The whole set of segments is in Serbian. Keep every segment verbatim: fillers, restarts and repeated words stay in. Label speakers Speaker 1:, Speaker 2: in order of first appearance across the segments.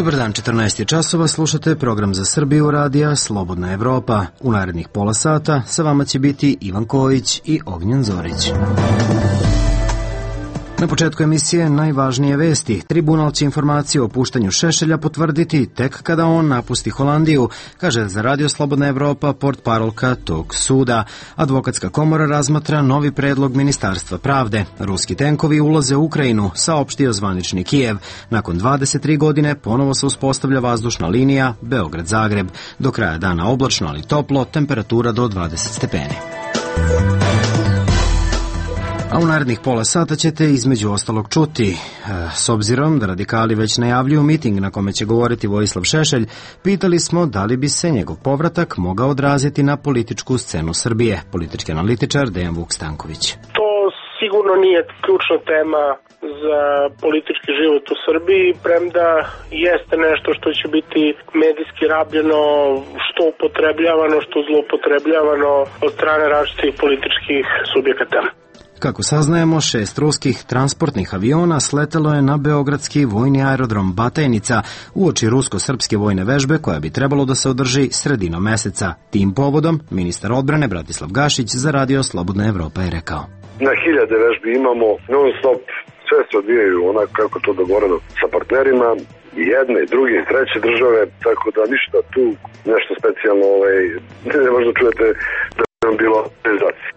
Speaker 1: Dobar dan, četrnaest je časova, slušate program za Srbiju radija Slobodna Evropa. U narednih pola sata sa vama će biti Ivan Kojić i Ognjen Zorić. Na početku emisije najvažnije vesti. Tribunal će informaciju o puštanju Šešelja potvrditi tek kada on napusti Holandiju, kaže za Radio Slobodna Evropa portparolka tog suda. Advokatska komora razmatra novi predlog Ministarstva pravde. Ruski tenkovi ulaze u Ukrajinu, saopštio zvanični Kijev. Nakon dvadeset tri godine ponovo se uspostavlja vazdušna linija Beograd-Zagreb. Do kraja dana oblačno, ali toplo, temperatura do dvadeset stepeni. A u narednih pola sata ćete između ostalog čuti. S obzirom da radikali već najavljuju miting na kome će govoriti Vojislav Šešelj, pitali smo da li bi se njegov povratak mogao odraziti na političku scenu Srbije. Politički analitičar Dejan Vuk Stanković.
Speaker 2: To sigurno nije ključna tema za politički život u Srbiji, premda jeste nešto što će biti medijski rabljeno, što upotrebljavano, što zloupotrebljavano od strane različitih političkih subjekata.
Speaker 1: Kako saznajemo, šest ruskih transportnih aviona sletelo je na beogradski vojni aerodrom Batajnica uoči rusko-srpske vojne vežbe koja bi trebalo da se održi sredinom meseca. Tim povodom ministar odbrane Bratislav Gašić za Radio Slobodna Evropa je rekao:
Speaker 3: Na hiljade vežbi imamo, non stop, sve se odvijaju onako kako to dogovoreno sa partnerima, i jedne, i druge, i treće države, tako da ništa tu nešto specijalno, ovaj, ne možda čujete da je nam bilo realizacija.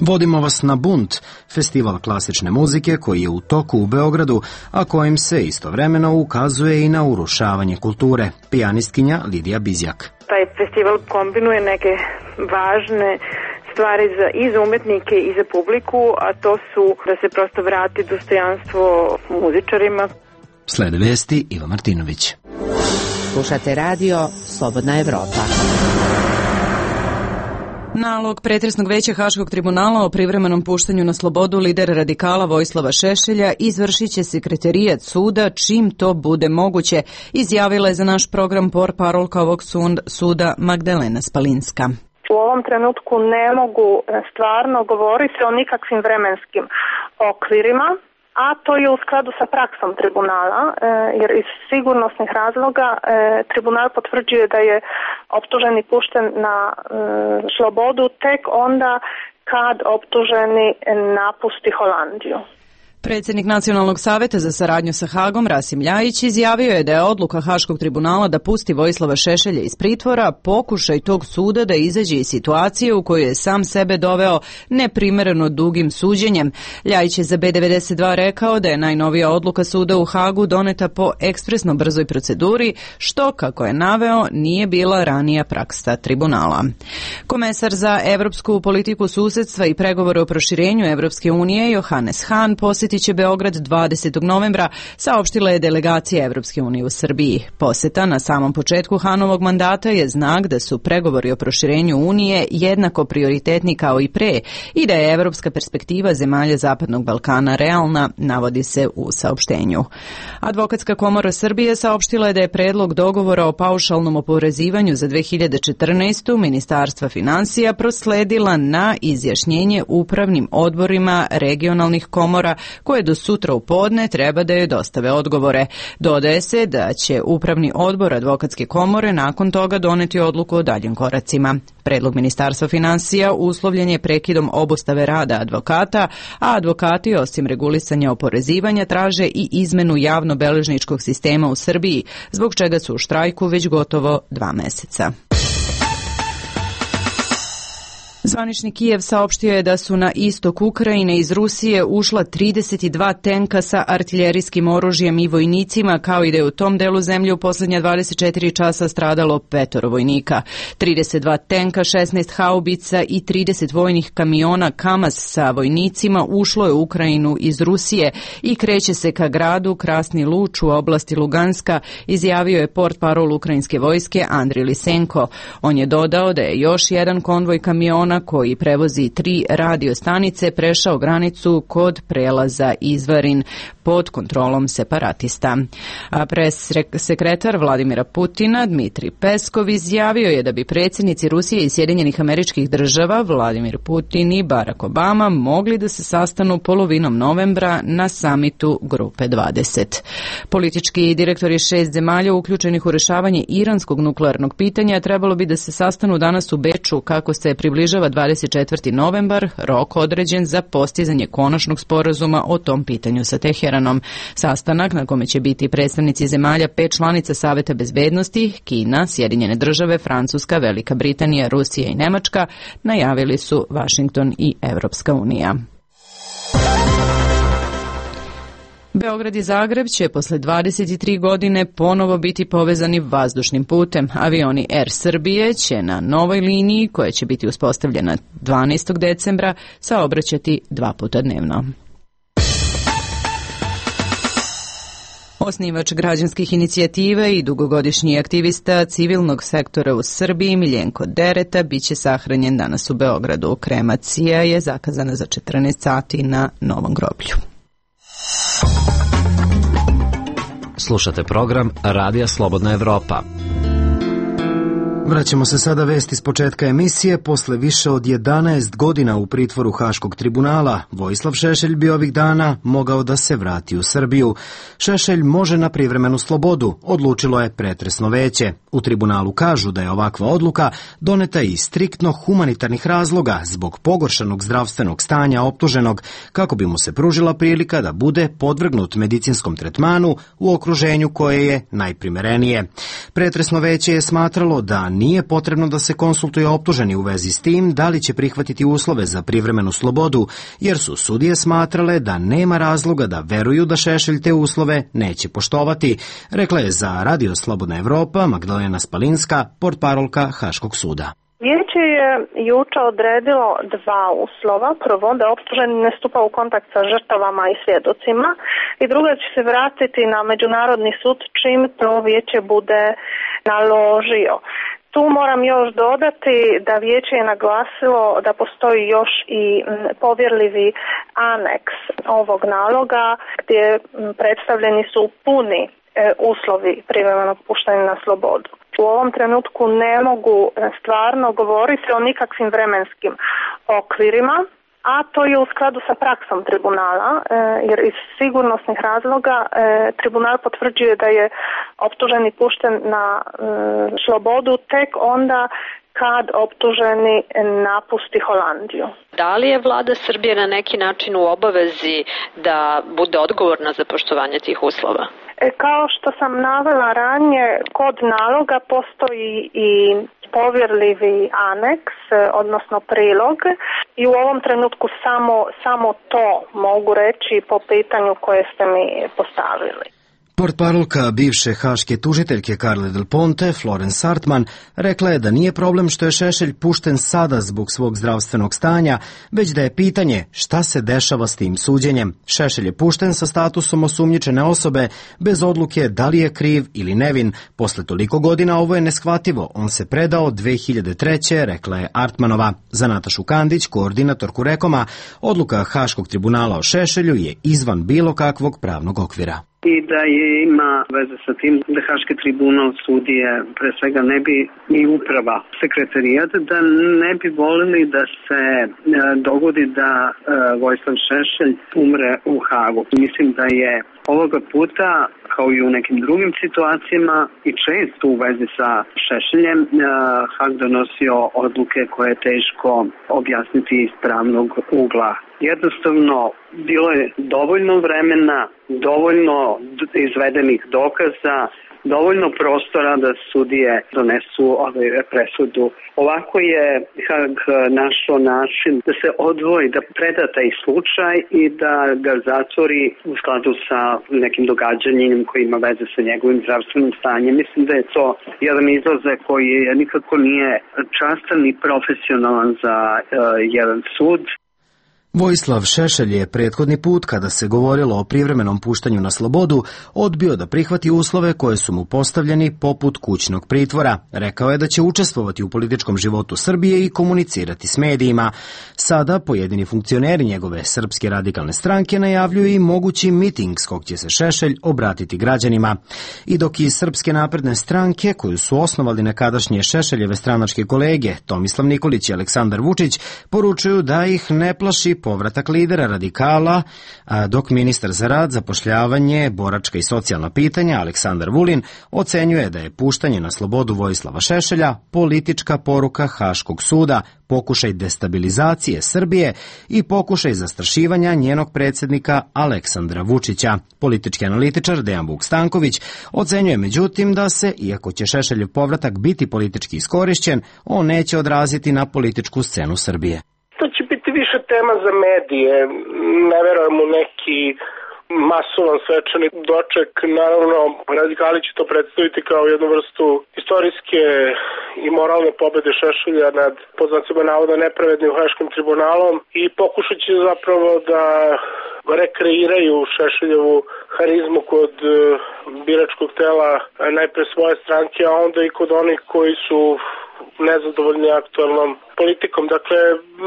Speaker 1: Vodimo vas na Bunt, festival klasične muzike koji je u toku u Beogradu, a kojim se istovremeno ukazuje i na urušavanje kulture. Pijanistkinja Lidija Bizjak.
Speaker 4: Taj festival kombinuje neke važne stvari za, i za umetnike i za publiku, a to su da se prosto vrati dostojanstvo muzičarima.
Speaker 1: Slede vesti, Iva Martinović.
Speaker 5: Slušate radio Slobodna Evropa.
Speaker 6: Nalog pretresnog veća Haškog tribunala o privremenom puštanju na slobodu lidera radikala Vojislava Šešelja izvršit će sekretarijat suda čim to bude moguće, izjavila je za naš program portparolka ovog suda Magdalena Spalinska.
Speaker 7: U ovom trenutku ne mogu stvarno govoriti o nikakvim vremenskim okvirima, a to je u skladu sa praksom tribunala, jer iz sigurnosnih razloga tribunal potvrđuje da je optuženi pušten na slobodu tek onda kad optuženi napusti Holandiju.
Speaker 6: Predsjednik Nacionalnog saveta za saradnju sa Hagom, Rasim Ljajić, izjavio je da je odluka Haškog tribunala da pusti Vojislava Šešelja iz pritvora pokušaj tog suda da izađe iz situacije u kojoj je sam sebe doveo neprimereno dugim suđenjem. Ljajić je za B devedeset dva rekao da je najnovija odluka suda u Hagu doneta po ekspresno brzoj proceduri, što, kako je naveo, nije bila ranija praksa tribunala. Komesar za evropsku politiku susedstva i pregovore o proširenju Evropske unije Johannes Hahn posjeti će Beograd dvadesetog novembra, saopštila je delegacija Evropske unije u Srbiji. Poseta na samom početku Hanovog mandata je znak da su pregovori o proširenju Unije jednako prioritetni kao i pre i da je evropska perspektiva zemalja Zapadnog Balkana realna, navodi se u saopštenju. Advokatska komora Srbije saopštila je da je predlog dogovora o paušalnom oporezivanju za dve hiljade četrnaestu. Ministarstva finansija prosledila na izjašnjenje upravnim odborima regionalnih komora koje do sutra u podne treba da joj dostave odgovore. Dodaje se da će Upravni odbor Advokatske komore nakon toga doneti odluku o daljim koracima. Predlog Ministarstva finansija uslovljen je prekidom obustave rada advokata, a advokati osim regulisanja oporezivanja traže i izmenu javno-beležničkog sistema u Srbiji, zbog čega su u štrajku već gotovo dva meseca. Zvanični Kijev saopštio je da su na istok Ukrajine iz Rusije ušla trideset dva tenka sa artiljerijskim oružjem i vojnicima, kao i da je u tom delu zemlje u posljednja dvadeset četiri časa stradalo petoro vojnika. trideset dva tenka, šesnaest haubica i trideset vojnih kamiona Kamaz sa vojnicima ušlo je u Ukrajinu iz Rusije i kreće se ka gradu Krasni Luč u oblasti Luganska, izjavio je portparol ukrajinske vojske Andriy Lisenko. On je dodao da je još jedan konvoj kamiona koji prevozi tri radio stanice prešao granicu kod prelaza Izvarin. pod kontrolom separatista. A pres sekretar Vladimira Putina Dmitrij Peskov izjavio je da bi predsjednici Rusije i Sjedinjenih Američkih Država Vladimir Putin i Barack Obama mogli da se sastanu polovinom novembra na samitu Grupe dvadeset. Politički direktori šest zemalja uključenih u rješavanje iranskog nuklearnog pitanja trebalo bi da se sastanu danas u Beču kako se približava dvadeset četvrti novembar, rok određen za postizanje konačnog sporazuma o tom pitanju sa Teheranom. Sastanak na kome će biti predstavnici zemalja pet članica Saveta bezbednosti, Kina, Sjedinjene Države, Francuska, Velika Britanija, Rusija i Nemačka, najavili su Washington i Evropska unija. Beograd i Zagreb će posle dvadeset tri godine ponovo biti povezani vazdušnim putem. Avioni Air Srbije će na novoj liniji, koja će biti uspostavljena dvanaestog decembra, saobraćati dva puta dnevno. Osnivač građanskih inicijativa i dugogodišnji aktivista civilnog sektora u Srbiji Miljenko Dereta biće sahranjen danas u Beogradu. Kremacija je zakazana za četrnaest sati na Novom groblju.
Speaker 8: Slušate program Radija Slobodna Evropa.
Speaker 1: Vraćamo se sada vesti s početka emisije. Posle više od jedanaest godina u pritvoru Haškog tribunala, Vojislav Šešelj bi ovih dana mogao da se vrati u Srbiju. Šešelj može na privremenu slobodu, odlučilo je pretresno veće. U tribunalu kažu da je ovakva odluka doneta iz striktno humanitarnih razloga zbog pogoršanog zdravstvenog stanja optuženog, kako bi mu se pružila prilika da bude podvrgnut medicinskom tretmanu u okruženju koje je najprimerenije. Pretresno veće je smatralo da nije potrebno da se konsultuje optuženi u vezi s tim da li će prihvatiti uslove za privremenu slobodu, jer su sudije smatrale da nema razloga da veruju da Šešelj te uslove neće poštovati, rekla je za Radio Slobodna Evropa Magdalena Spalinska, portparolka Haškog suda.
Speaker 7: Vijeće je juče odredilo dva uslova. Prvo, da optuženi ne stupa u kontakt sa žrtvama i svjedocima, i drugo, će se vratiti na međunarodni sud čim to vijeće bude naložio. Tu moram još dodati da vijeće je naglasilo da postoji još i povjerljivi aneks ovog naloga gdje predstavljeni su puni uslovi privremenog puštanja na slobodu. U ovom trenutku ne mogu stvarno govoriti o nikakvim vremenskim okvirima, a to je u skladu sa praksom tribunala, jer iz sigurnosnih razloga tribunal potvrđuje da je optuženi pušten na slobodu tek onda kad optuženi napusti Holandiju.
Speaker 9: Da li je vlada Srbije na neki način u obavezi da bude odgovorna za poštovanje tih uslova?
Speaker 7: Kao što sam navela ranije, kod naloga postoji i povjerljivi aneks, odnosno prilog, i u ovom trenutku samo, samo to mogu reći po pitanju koje ste mi postavili.
Speaker 1: Portparolka bivše haške tužiteljke Carle Del Ponte, Florence Sartman, rekla je da nije problem što je Šešelj pušten sada zbog svog zdravstvenog stanja, već da je pitanje šta se dešava s tim suđenjem. Šešelj je pušten sa statusom osumnjičene osobe, bez odluke da li je kriv ili nevin. Posle toliko godina ovo je neshvativo. On se predao dve hiljade treće. rekla je Artmanova. Za Natašu Kandić, koordinatorku Rekoma, odluka Haškog tribunala o Šešelju je izvan bilo kakvog pravnog okvira.
Speaker 10: I da je ima veze sa tim da Haški tribunal sudije, pre svega ne bi i uprava sekretarijat, da ne bi volili da se e, dogodi da e, Vojislav Šešelj umre u Hagu. Mislim da je ovoga puta, kao i u nekim drugim situacijama i često u vezi sa Šešeljem, e, Hag donosio odluke koje je teško objasniti iz pravnog ugla. Jednostavno, bilo je dovoljno vremena, dovoljno izvedenih dokaza, dovoljno prostora da sudije donesu ovaj presudu. Ovako je Hag našao način da se odvoji, da preda taj slučaj i da ga zatvori u skladu sa nekim događanjem koji ima veze sa njegovim zdravstvenim stanjem. Mislim da je to jedan izlazak koji je nikako nije častan i profesionalan za uh, jedan sud.
Speaker 1: Vojislav Šešelj je prethodni put, kada se govorilo o privremenom puštanju na slobodu, odbio da prihvati uslove koje su mu postavljeni poput kućnog pritvora. Rekao je da će učestvovati u političkom životu Srbije i komunicirati s medijima. Sada pojedini funkcioneri njegove Srpske radikalne stranke najavljuju i mogući miting s kog će se Šešelj obratiti građanima. I dok iz Srpske napredne stranke, koju su osnovali nekadašnje Šešeljeve stranačke kolege Tomislav Nikolić i Aleksandar Vučić, poručuju da ih ne plaši povratak lidera radikala, a dok ministar za rad, zapošljavanje, boračka i socijalna pitanja Aleksandar Vulin ocenjuje da je puštanje na slobodu Vojislava Šešelja politička poruka Haškog suda, pokušaj destabilizacije Srbije i pokušaj zastrašivanja njenog predsjednika Aleksandra Vučića. Politički analitičar Dejan Vuk Stanković ocenjuje međutim da se, iako će Šešeljev povratak biti politički iskorišćen, on neće odraziti na političku scenu Srbije.
Speaker 2: To će biti više tema za medije, ne verujem u neki masovan svečani doček. Naravno, radikali će to predstaviti kao jednu vrstu istorijske i moralne pobede Šešelja nad, pod znacima navoda, nepravednim Haškim tribunalom i pokušat će zapravo da rekreiraju Šešeljevu harizmu kod biračkog tela najpre svoje stranke, a onda i kod onih koji su nezadovoljni aktualnom politikom. Dakle,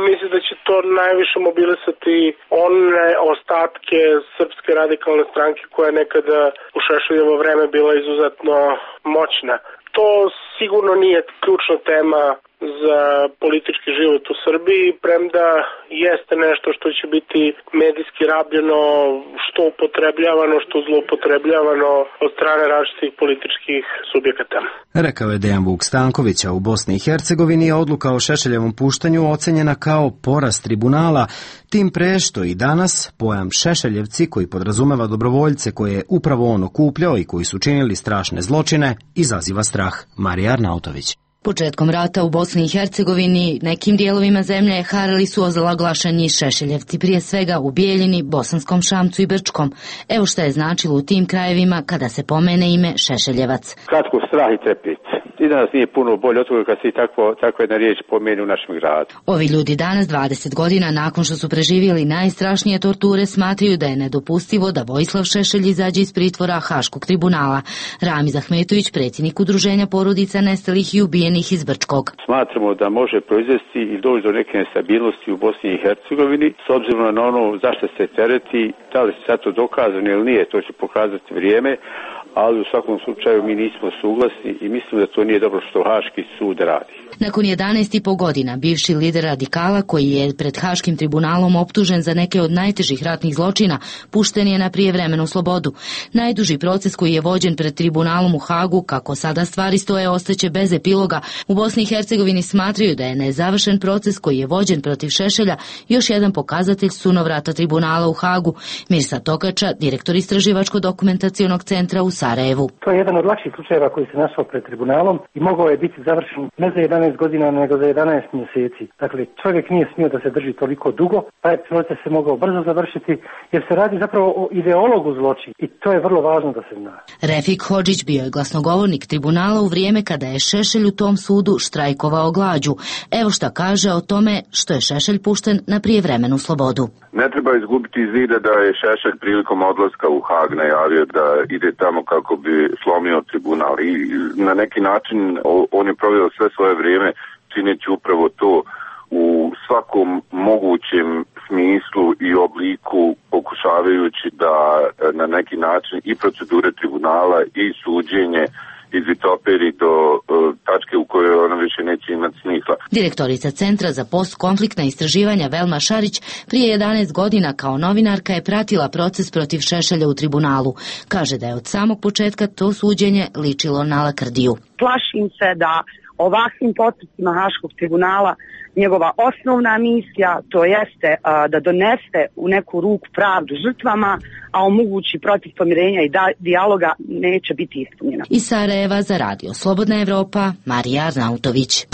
Speaker 2: mislim da će to najviše mobilisati one ostatke Srpske radikalne stranke koja je nekada u Šešeljevo vreme bila izuzetno moćna. To sigurno nije ključna tema za politički život u Srbiji, premda jeste nešto što će biti medijski rabljeno, što upotrebljavano, što zloupotrebljavano od strane različitih političkih subjekata.
Speaker 1: Rekao je Dejan Vuk Stanković, a u Bosni i Hercegovini je odluka o Šešeljevom puštanju ocenjena kao poraz tribunala, tim pre što i danas pojam Šešeljevci, koji podrazumeva dobrovoljce koje je upravo on okupljao i koji su činili strašne zločine, izaziva strah. Marija Arnautović.
Speaker 11: Početkom rata u Bosni i Hercegovini nekim dijelovima zemlje harali su ozlaglašeni Šešeljevci, prije svega u Bijeljini, Bosanskom Šamcu i Brčkom. Evo šta je značilo u tim krajevima kada se pomene ime Šešeljevac.
Speaker 12: Kratko, strah i trepet. I danas nije puno bolje od toga kad se takvo, takva jedna riječ pomeni u našem gradu.
Speaker 11: Ovi ljudi danas, dvadeset godina nakon što su preživjeli najstrašnije torture, smatraju da je nedopustivo da Vojislav Šešelj izađe iz pritvora Haškog tribunala. Ramiz Ahmetović, predsjednik udruženja porodica nestalih i ubijenih iz Brčkog.
Speaker 12: Smatramo da može proizvesti i doći do neke nestabilnosti u Bosni i Hercegovini, s obzirom na ono zašto se tereti, da li se sad to dokazano ili nije, to će pokazati vrijeme, ali u svakom slučaju mi nismo suglasni i mislim da to nije dobro što Haški sud radi.
Speaker 11: Nakon jedanaest i po godina, bivši lider radikala, koji je pred Haškim tribunalom optužen za neke od najtežih ratnih zločina, pušten je na prijevremenu slobodu. Najduži proces koji je vođen pred tribunalom u Hagu, kako sada stvari stoje, ostaće bez epiloga. U Bosni i Hercegovini smatraju da je nezavršen proces koji je vođen protiv Šešelja još jedan pokazatelj sunovrata tribunala u Hagu. Mirsa Tokača, direktor Istraživačko-dokumentacionog centra u Sarajevu.
Speaker 13: To je jedan od lakših slučajeva koji se našao pred tribunalom i mogao je biti završen ne za jedanaest godina, nego za jedanaest mjeseci. Dakle, čovjek nije smio da se drži toliko dugo, taj proces se mogao brzo završiti, jer se radi zapravo o ideologu zločina i to je vrlo važno da se zna.
Speaker 11: Refik Hodžić bio je glasnogovornik tribunala u vrijeme kada je Šešelj u tom sudu štrajkovao glađu. Evo šta kaže o tome što je Šešelj pušten na prijevremenu slobodu.
Speaker 14: Ne treba izgubiti iz vida da je Šešelj prilikom odlaska u Hag najavio da ide tamo kako bi slomio tribunal i na neki način on je proveo sve svoje vrijeme čineći upravo to u svakom mogućem smislu i obliku, pokušavajući da na neki način i procedure tribunala i suđenje izvitoperi do uh, tačke u kojoj ona više neće imati smisla.
Speaker 11: Direktorica Centra za postkonfliktna istraživanja Velma Šarić prije jedanaest godina kao novinarka je pratila proces protiv Šešelja u tribunalu. Kaže da je od samog početka to suđenje ličilo na lakrdiju.
Speaker 15: Plašim se da ovakvim postupcima Haškog tribunala njegova osnovna misija, to jeste a, da donese u neku ruku pravdu žrtvama, a omogući protiv pomirenja i da, dijaloga, neće biti ispunjena.
Speaker 11: Iz Sarajeva za radio Slobodna Evropa, Marija Arnautović.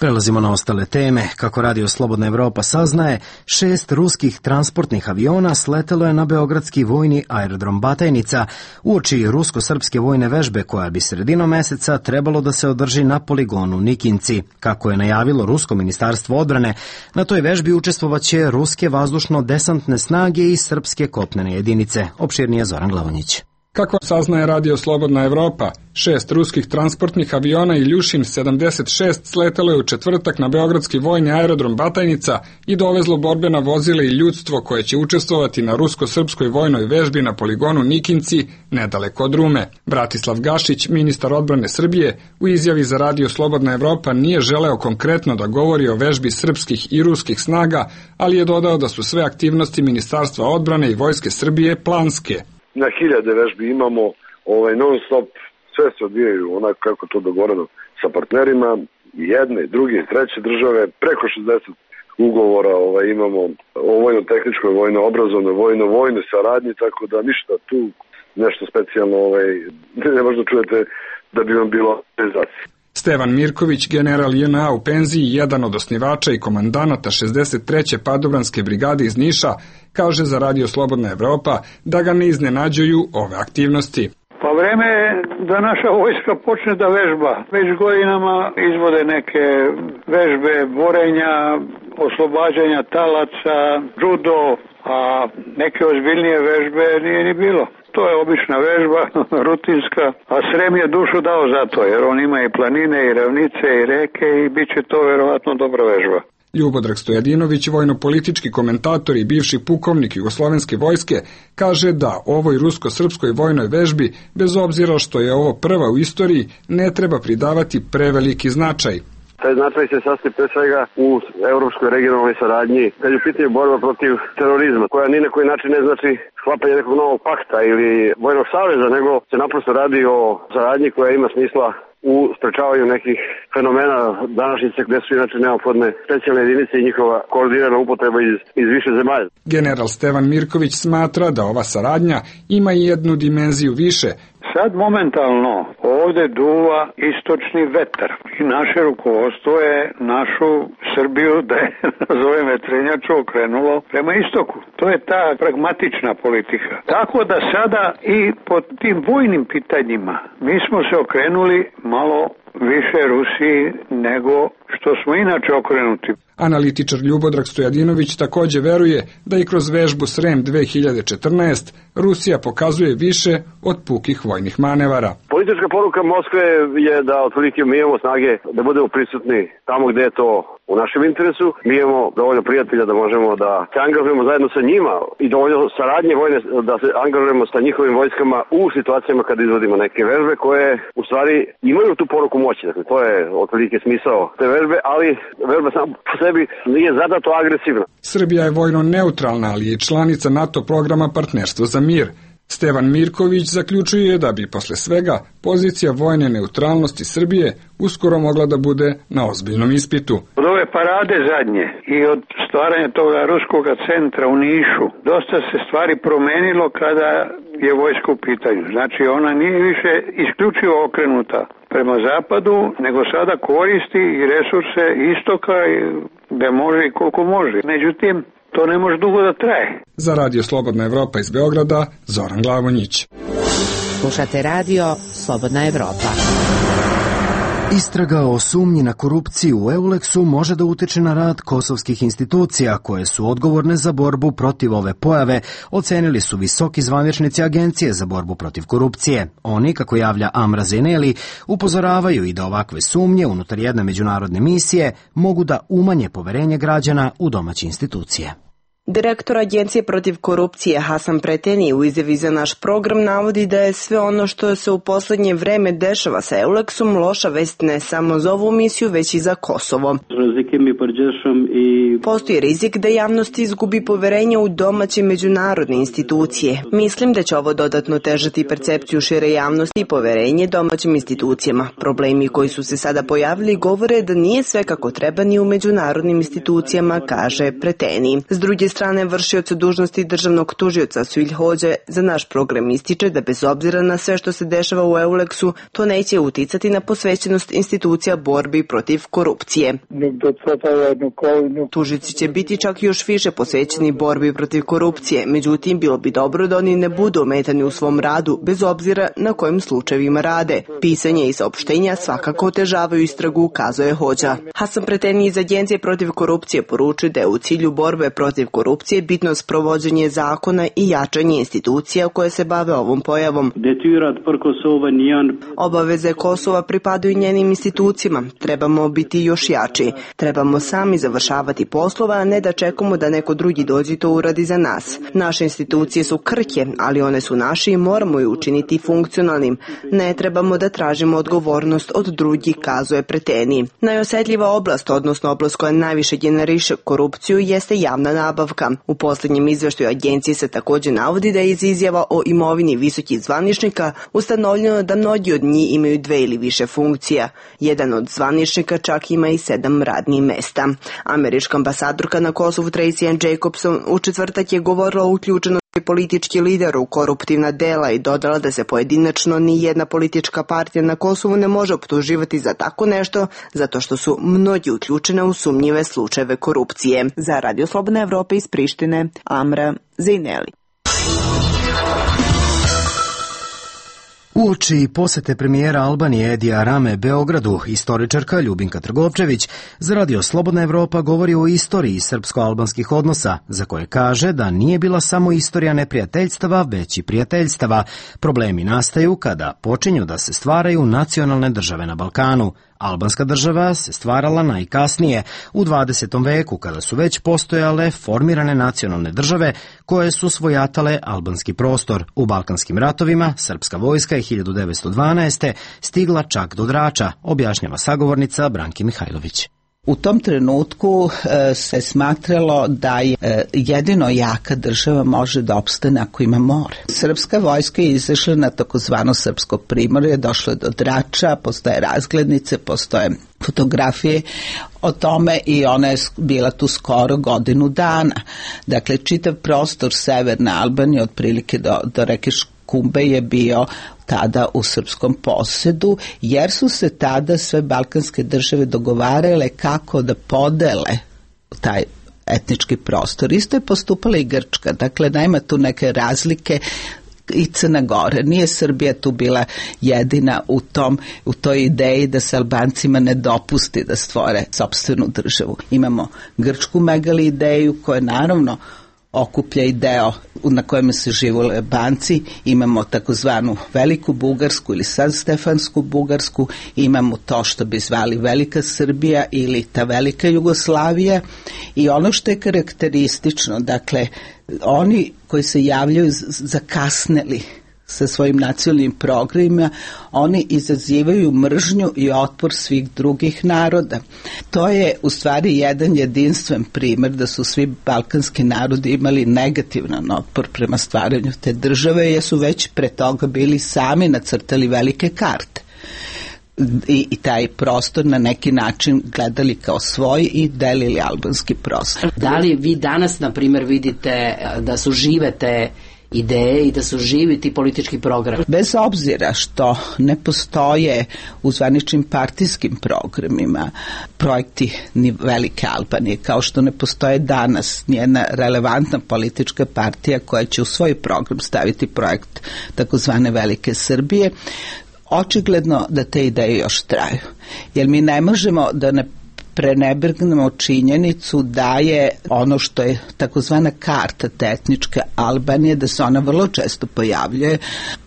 Speaker 1: Prelazimo na ostale teme. Kako Radio Slobodna Evropa saznaje, šest ruskih transportnih aviona sletelo je na beogradski vojni aerodrom Batajnica uoči rusko-srpske vojne vežbe koja bi sredinom meseca trebalo da se održi na poligonu Nikinci. Kako je najavilo Rusko ministarstvo odbrane, na toj vežbi učestvovaće ruske vazdušno-desantne snage i srpske kopnene jedinice. Opširnije Zoran Glavonjić.
Speaker 16: Kako saznaje Radio Slobodna Evropa, šest ruskih transportnih aviona Iljušin sedamdeset šest sletelo je u četvrtak na beogradski vojni aerodrom Batajnica i dovezlo borbena vozila i ljudstvo koje će učestvovati na rusko-srpskoj vojnoj vežbi na poligonu Nikinci, nedaleko od Rume. Bratislav Gašić, ministar odbrane Srbije, u izjavi za Radio Slobodna Evropa nije želeo konkretno da govori o vežbi srpskih i ruskih snaga, ali je dodao da su sve aktivnosti Ministarstva odbrane i Vojske Srbije planske.
Speaker 3: Na hiljade vežbi imamo ovaj, non stop, sve se odvijaju onako kako to dogovoreno sa partnerima, jedne, druge, treće države, preko šezdeset ugovora ovaj, imamo o vojno-tehničkoj, vojno-obrazovnoj, vojno-vojnoj saradnji, tako da ništa tu nešto specijalno ovaj, ne možda čujete da bi vam bilo realizacija.
Speaker 16: Stevan Mirković, general J N A u penziji, jedan od osnivača i komandanata šezdeset treće padobranske brigade iz Niša, kaže za Radio Slobodna Evropa da ga ne iznenađuju ove aktivnosti.
Speaker 17: Pa vreme je da naša vojska počne da vežba. Već godinama izvode neke vežbe borenja, oslobađanja talaca, judo, a neke ozbiljnije vežbe nije ni bilo. To je obična vežba, rutinska, a Srem je dušu dao za to, jer on ima i planine, i ravnice, i reke i bit će to verovatno dobra vežba.
Speaker 16: Ljubodrag Stojadinović, vojno-politički komentator i bivši pukovnik Jugoslovenske vojske, kaže da ovoj rusko-srpskoj vojnoj vežbi, bez obzira što je ovo prva u istoriji, ne treba pridavati preveliki značaj.
Speaker 3: Taj značaj se sastoji pre svega u evropskoj regionalnoj saradnji, kad je u pitanju borba protiv terorizma, koja ni na koji način ne znači sklapanje nekog novog pakta ili vojnog saveza, nego se naprosto radi o saradnji koja ima smisla u sprečavanju nekih fenomena današnjice gde su inače neophodne specijalne jedinice i njihova koordinirana upotreba iz, iz više zemalja.
Speaker 16: General Stevan Mirković smatra da ova saradnja ima i jednu dimenziju više.
Speaker 17: Sad momentalno ovde duva istočni vetar i naše rukovodstvo je našu Srbiju, da je nazovem vetrenjaču, okrenulo prema istoku. To je ta pragmatična politika. Tako da sada i po tim vojnim pitanjima mi smo se okrenuli malo više Rusiji nego što smo inače okrenuti.
Speaker 16: Analitičar Ljubodrag Stojadinović takođe veruje da i kroz vežbu Srem dve hiljade četrnaeste Rusija pokazuje više od pukih vojnih manevara.
Speaker 3: Politička poruka Moskve je da otprilike mi imamo snage da budemo prisutni tamo gde je to u našem interesu. Mi imamo dovoljno prijatelja da možemo da se angažujemo zajedno sa njima i dovoljno saradnje vojne da se angažujemo sa njihovim vojskama u situacijama kada izvodimo neke vežbe koje u stvari imaju tu poruku moći. Dakle, to je otprilike smisao te vežbe, ali vežba sam po sebi nije zadato agresivna.
Speaker 16: Srbija je vojno neutralna, ali je članica NATO programa Partnerstvo za mir. Stevan Mirković zaključuje da bi posle svega pozicija vojne neutralnosti Srbije uskoro mogla da bude na ozbiljnom ispitu.
Speaker 17: Od ove parade zadnje i od stvaranja toga ruskog centra u Nišu dosta se stvari promenilo kada je vojska u pitanju. Znači ona nije više isključivo okrenuta prema zapadu, nego sada koristi i resurse istoka gde može i koliko može. Međutim, to ne može dugo da traje.
Speaker 16: Za Radio Slobodna Evropa iz Beograda, Zoran Glavonjić.
Speaker 5: Slušate Radio Slobodna Evropa.
Speaker 1: Istraga o sumnji na korupciju u Euleksu može da utiče na rad kosovskih institucija koje su odgovorne za borbu protiv ove pojave, ocenili su visoki zvaničnici Agencije za borbu protiv korupcije. Oni, kako javlja Amra Zeneli, upozoravaju i da ovakve sumnje unutar jedne međunarodne misije mogu da umanje poverenje građana u domaće institucije.
Speaker 18: Direktor Agencije protiv korupcije Hasan Preteni u izjavi za naš program navodi da je sve ono što se u poslednje vreme dešava sa Euleksom loša vest ne samo za ovu misiju, već i za Kosovo. Postoji rizik da javnost izgubi poverenje u domaće međunarodne institucije. Mislim da će ovo dodatno težati percepciju šire javnosti i poverenje domaćim institucijama. Problemi koji su se sada pojavili govore da nije sve kako treba ni u međunarodnim institucijama, kaže Preteni. S druge strane, strane, vršioca dužnosti državnog tužioca Suilj Hođe za naš program ističe da bez obzira na sve što se dešava u Euleksu, to neće uticati na posvećenost institucija borbi protiv korupcije. Tužici će biti čak još više posvećeni borbi protiv korupcije, međutim bilo bi dobro da oni ne budu ometani u svom radu bez obzira na kojim slučajevima rade. Pisanje i saopštenja svakako otežavaju istragu, kazuje Hođa. Hasan Preteni iz Agencije protiv korupcije poručuje da je u cilju borbe protiv korupcije bitno sprovođenje zakona i jačanje institucija koje se bave ovom pojavom. Obaveze Kosova pripadaju njenim institucijama. Trebamo biti još jači. Trebamo sami završavati poslova, a ne da čekamo da neko drugi dođe to uradi za nas. Naše institucije su krhke, ali one su naše i moramo je učiniti funkcionalnim. Ne trebamo da tražimo odgovornost od drugih, kazuje Preteni. Najosetljiva oblast, odnosno oblast koja najviše generiše korupciju, jeste javna nabavka. U posljednjem izveštaju agencije se također navodi da je iz izjava o imovini visokih zvaničnika ustanovljeno da mnogi od njih imaju dve ili više funkcija. Jedan od zvaničnika čak ima i sedam radnih mesta. Američka ambasadorka na Kosovu Tracy Ann Jacobson u četvrtak je govorila o uključenosti politički lider u koruptivna dela i dodala da se pojedinačno ni jedna politička partija na Kosovu ne može optuživati za tako nešto, zato što su mnogi uključene u sumnjive slučajeve korupcije. Za Radio Slobodna Evropa iz Prištine, Amra Zejneli.
Speaker 1: Uoči posete premijera Albanije Edija Rame Beogradu, istoričarka Ljubinka Trgovčević za Radio Slobodna Evropa govori o istoriji srpsko-albanskih odnosa, za koje kaže da nije bila samo istorija neprijateljstava, već i prijateljstava. Problemi nastaju kada počinju da se stvaraju nacionalne države na Balkanu. Albanska država se stvarala najkasnije, u dvadesetom veku, kada su već postojale formirane nacionalne države koje su svojatale albanski prostor. U Balkanskim ratovima srpska vojska je hiljadu devetsto dvanaeste. stigla čak do Drača, objašnjava sagovornica Branki Mihajlović.
Speaker 19: U tom trenutku e, se smatralo da je e, jedino jaka država može da opstane ako ima more. Srpska vojska je izašla na takozvano srpsko primorje, došlo je do Drača, postoje razglednice, postoje fotografije o tome i ona je bila tu skoro godinu dana. Dakle, čitav prostor severne Albanije, otprilike do, do reke Kumbe, je bio tada u srpskom posedu, jer su se tada sve balkanske države dogovarale kako da podele taj etnički prostor. Isto je postupala i Grčka, dakle nema tu neke razlike, i Crna Gora. Nije Srbija tu bila jedina u tom, u toj ideji da se Albancima ne dopusti da stvore sopstvenu državu. Imamo grčku megali ideju koja naravno okuplja i deo na kojem se živole Albanci, imamo takozvanu Veliku Bugarsku ili San Stefansku Bugarsku, imamo to što bi zvali Velika Srbija ili ta Velika Jugoslavija i ono što je karakteristično, dakle, oni koji se javljaju zakasneli sa svojim nacionalnim programima, oni izazivaju mržnju i otpor svih drugih naroda. To je u stvari jedan jedinstven primjer da su svi balkanski narodi imali negativan otpor prema stvaranju te države, jer su već pre toga bili sami nacrtali velike karte. I, i taj prostor na neki način gledali kao svoj i delili albanski prostor.
Speaker 20: Da li vi danas, na primjer, vidite da su žive te ideje i da su živi ti politički programi?
Speaker 19: Bez obzira što ne postoje u zvaničnim partijskim programima projekti ni Velike Albanije, kao što ne postoje danas nijedna relevantna politička partija koja će u svoj program staviti projekt takozvane Velike Srbije, očigledno da te ideje još traju. Jer mi ne možemo da ne prenebrgnemo činjenicu da je ono što je takozvana karta te etničke Albanije, da se ona vrlo često pojavljuje.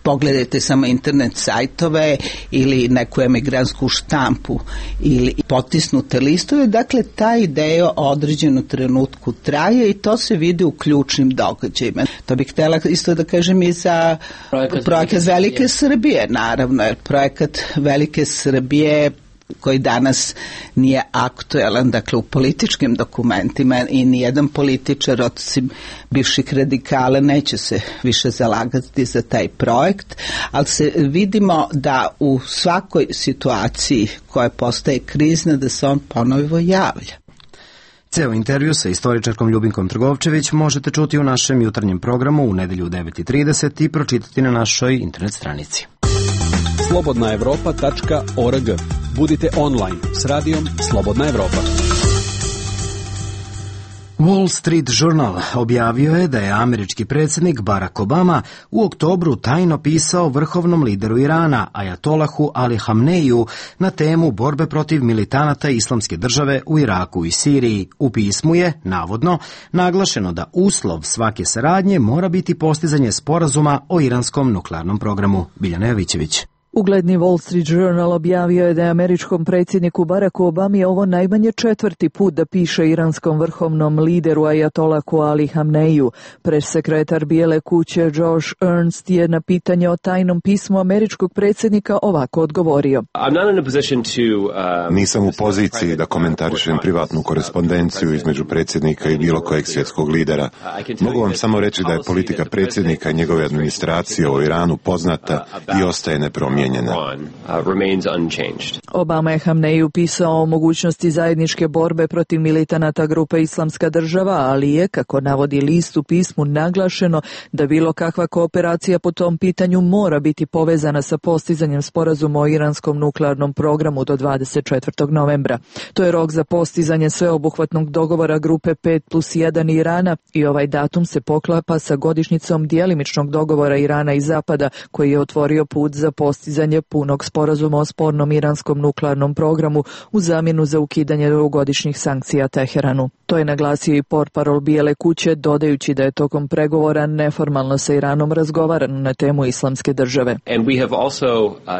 Speaker 19: Pogledajte samo internet sajtove ili neku emigransku štampu ili potisnute listove. Dakle, ta ideja o određenom trenutku traje i to se vidi u ključnim događajima. To bih htjela isto da kažem i za projekat, projekat Velike Srbije, naravno, jer projekat Velike Srbije koji danas nije aktuelan, dakle u političkim dokumentima i nijedan političar osim bivših radikala neće se više zalagati za taj projekt, ali se vidimo da u svakoj situaciji koja postaje krizna da se on ponovo javlja.
Speaker 1: Ceo intervju sa istoričarkom Ljubinkom Trgovčević možete čuti u našem jutarnjem programu u nedelju u devet i trideset i pročitati na našoj internet stranici.
Speaker 21: slobodna evropa tačka org. Budite online s radijom Slobodna Evropa.
Speaker 1: Wall Street Journal objavio je da je američki predsjednik Barack Obama u oktobru tajno pisao vrhovnom lideru Irana, ajatolahu Ali Hamneiju, na temu borbe protiv militanata Islamske države u Iraku i Siriji. U pismu je, navodno, naglašeno da uslov svake saradnje mora biti postizanje sporazuma o iranskom nuklearnom programu. Biljana Jovićević.
Speaker 22: Ugledni Wall Street Journal objavio je da je američkom predsjedniku Baracku Obami ovo najmanje četvrti put da piše iranskom vrhovnom lideru ajatolahu Ali Hamneiju. Pressekretar Bijele kuće Josh Ernst je na pitanje o tajnom pismu američkog predsjednika ovako odgovorio.
Speaker 23: Nisam u poziciji da komentarišem privatnu korespondenciju između predsjednika i bilo kojeg svjetskog lidera. Mogu vam samo reći da je politika predsjednika i njegove administracije u Iranu poznata i ostaje nepromijenjena.
Speaker 22: Obama je Hamneiju pisao o mogućnosti zajedničke borbe protiv militanata grupe Islamska država, ali je, kako navodi list, u pismu naglašeno da bilo kakva kooperacija po tom pitanju mora biti povezana sa postizanjem sporazuma o iranskom nuklearnom programu do dvadeset četvrtog novembra. To je rok za postizanje sveobuhvatnog dogovora grupe pet plus jedan Irana i ovaj datum se poklapa sa godišnjicom djelimičnog dogovora Irana i Zapada koji je otvorio put za postizanje punog sporazuma o spornom iranskom nuklearnom programu u zamjenu za ukidanje dugogodišnjih sankcija Teheranu. To je naglasio i portparol Bijele kuće, dodajući da je tokom pregovora neformalno sa Iranom razgovarano na temu Islamske države.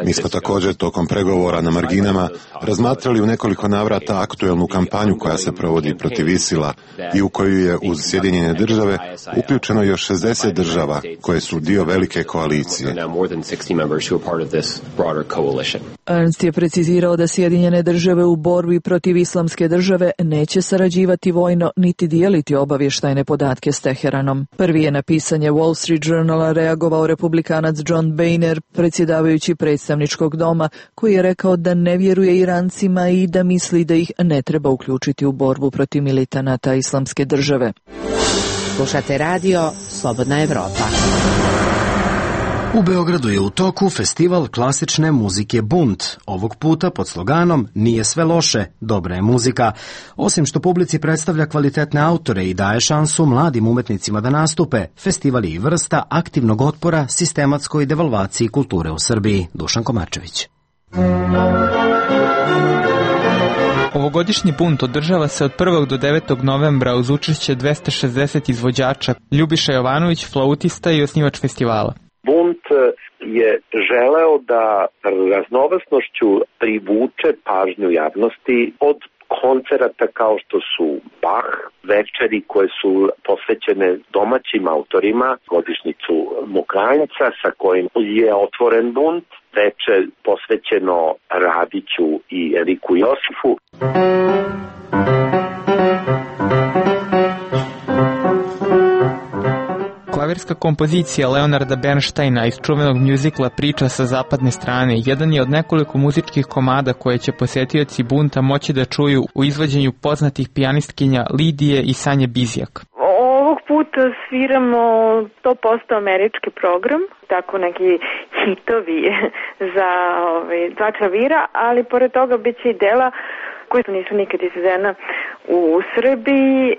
Speaker 23: Mi smo također tokom pregovora na marginama razmatrali u nekoliko navrata aktuelnu kampanju koja se provodi protiv Isila i u koju je uz Sjedinjene države uključeno još šezdeset država koje su dio velike koalicije.
Speaker 22: Ernst je precizirao da Sjedinjene države u borbi protiv Islamske države neće sarađivati vojno niti dijeliti obavještajne podatke s Teheranom. Prvi je na pisanje Wall Street Journala reagovao republikanac John Boehner, predsjedavajući predstavničkog doma, koji je rekao da ne vjeruje Irancima i da misli da ih ne treba uključiti u borbu protiv militanata Islamske države.
Speaker 5: Slušate radio Slobodna Evropa.
Speaker 1: U Beogradu je u toku festival klasične muzike Bunt, ovog puta pod sloganom Nije sve loše, dobra je muzika. Osim što publici predstavlja kvalitetne autore i daje šansu mladim umetnicima da nastupe, festival je i vrsta aktivnog otpora sistematskoj devalvaciji kulture u Srbiji. Dušan Komarčević.
Speaker 24: Ovogodišnji bunt održava se od prvog do devetog novembra uz učešće dvesta šezdeset izvođača. Ljubiša Jovanović, flautista i osnivač festivala.
Speaker 25: Bunt je želeo da raznovrsnošću privuče pažnju javnosti od koncerata kao što su Bach, večeri koje su posvećene domaćim autorima, godišnjicu Mokranjca sa kojim je otvoren bunt, večer posvećeno Radiću i Eriku Josifu.
Speaker 24: Klavirska kompozicija Leonarda Bernsteina iz čuvenog mjuzikla Priča sa zapadne strane jedan je od nekoliko muzičkih komada koje će posjetioci bunta moći da čuju u izvođenju poznatih pijanistkinja Lidije i Sanje Bizjak.
Speaker 4: Ovog puta sviramo sto posto američki program, tako neki hitovi za ovaj, dva klavira, ali pored toga bit će i dela koje nisu nikad izvedena u Srbiji.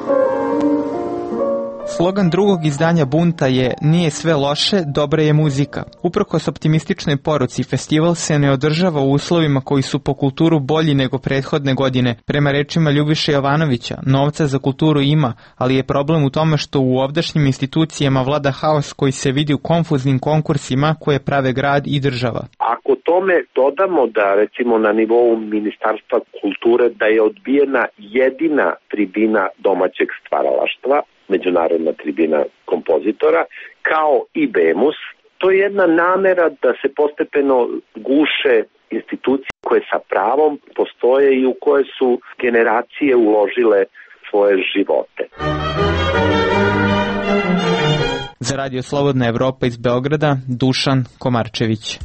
Speaker 24: Slogan drugog izdanja bunta je Nije sve loše, dobra je muzika. Uprkos optimističnoj poruci, festival se ne održava u uslovima koji su po kulturu bolji nego prethodne godine. Prema rečima Ljubiše Jovanovića, novca za kulturu ima, ali je problem u tome što u ovdašnjim institucijama vlada haos koji se vidi u konfuznim konkursima koje prave grad i država.
Speaker 25: Ako tome dodamo da recimo na nivou Ministarstva kulture da je odbijena jedina tribina domaćeg stvaralaštva, međunarodna tribina kompozitora, kao i BEMUS, to je jedna namera da se postepeno guše institucije koje sa pravom postoje i u koje su generacije uložile svoje živote.
Speaker 24: Za Radio Slobodna Evropa iz Beograda, Dušan Komarčević.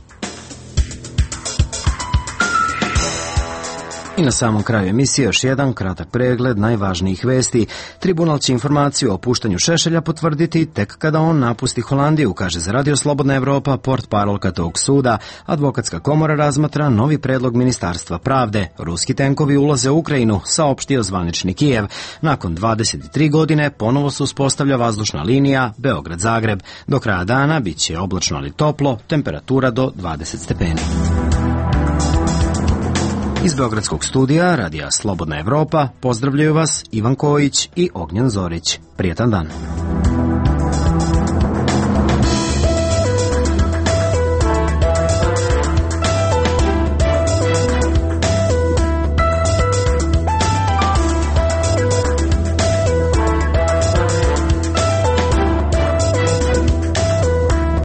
Speaker 1: I na samom kraju emisije još jedan kratak pregled najvažnijih vesti. Tribunal će informaciju o puštanju Šešelja potvrditi tek kada on napusti Holandiju, kaže za Radio Slobodna Evropa portparolka tog suda. Advokatska komora razmatra novi predlog Ministarstva pravde. Ruski tenkovi ulaze u Ukrajinu, saopštio zvanični Kijev. Nakon dvadeset tri godine ponovo se uspostavlja vazdušna linija Beograd-Zagreb. Do kraja dana bit će oblačno ali toplo, temperatura do dvadeset stepeni. Iz Beogradskog studija Radija Slobodna Evropa pozdravljaju vas Ivan Kojić i Ognjen Zorić. Prijetan dan.